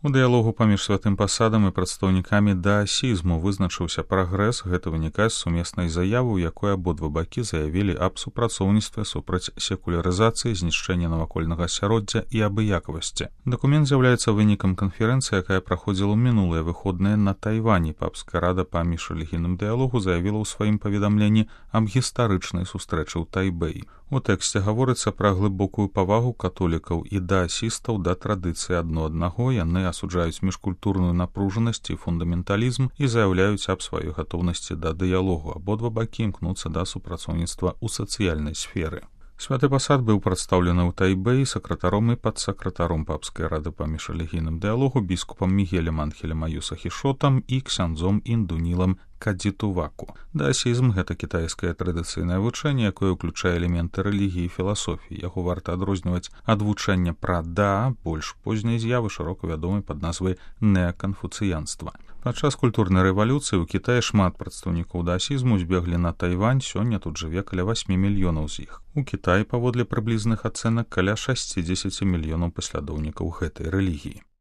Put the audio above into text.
У дыялогу паміж святым пасадам і прадстаўнікамі даасізму вызначыўся прагрэс, гэта вынікае з сумеснай заявы, у якой абодва бакі заявілі аб супрацоўніцтве супраць секулярызацыі, знішчэння навакольнага асяроддзя і абыякавасці. Дакумент з'яўляецца вынікам канферэнцыі, якая праходзіла ў мінулыя выходныя на Тайвані. Папская рада па міжрэлігійным дыялогу заявіла ў сваім паведамленні аб гістарычнай сустрэчы ў Тайбэі. У тэксце гаворыцца пра глыбокую павагу католікаў і даасістаў да традыцыі адно аднаго. Яны асуджаюць міжкультурную напружанасць і фундаменталізм і заяўляюць аб сваёй гатоўнасці да дыялогу. Абодва бакі імкнуцца да супрацоўніцтва ў сацыяльнай сферы. Святы пасад быў прадстаўлены ў Тайбэі сакратаром і падсакратаром папскай рады па міжрэлігійным дыялогу біскупам Мігелем Анхелем Аюса Хішотам і ксяндзом Індунілам Кадзітуваку. Даасізм — гэта кітайскае традыцыйнае вучэнне, якое ўключае элементы рэлігіі і філасофіі. Яго варта адрозніваць ад вучэння пра да, больш позняй з'явы, шырока вядомай пад назвай неаканфуцыянства. Падчас культурнай рэвалюцыі ў Кітаі шмат прадстаўнікоў даасізму збеглі на Тайвань, сёння тут жыве каля 8 мільёнаў з іх. У Кітаі, паводле прыблізных ацэнак, каля 60 мільёнаў паслядоўнікаў гэтай рэлігіі.